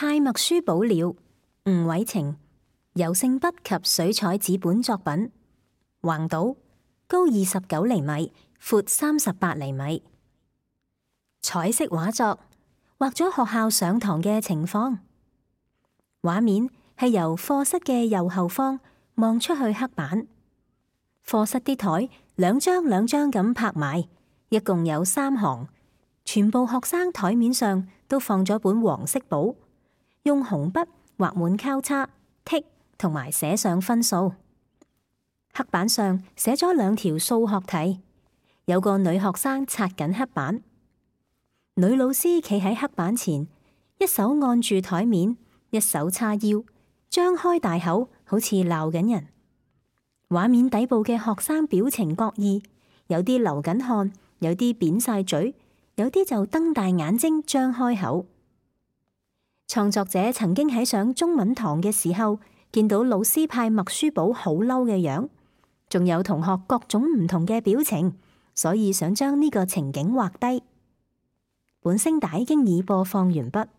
派默書簿了，吳偉晴，油性筆及水彩紙本作品，橫島，高29厘米，闊38厘米。彩色畫作，畫咗學校上堂嘅情況。畫面係由課室嘅右後方望出去黑板，課室啲台兩張兩張咁拍埋，一共有3行，全部學生台面上都放咗本黃色簿，用紅筆畫滿交叉、剔同埋寫上分數。黑板上寫咗2條數學題，有個女學生擦緊黑板，女老師企喺黑板前，一手按住台面，一手叉腰，張開大口，好似鬧緊人。畫面底部嘅學生表情各異，有啲流緊汗，有啲扁晒嘴，有啲就瞪大眼睛張開口。創作者曾經喺上中文堂嘅時候，見到老師派默書簿好嬲嘅樣，仲有同學各種唔同嘅表情，所以想將呢個情景畫低。本聲帶經已播放完畢。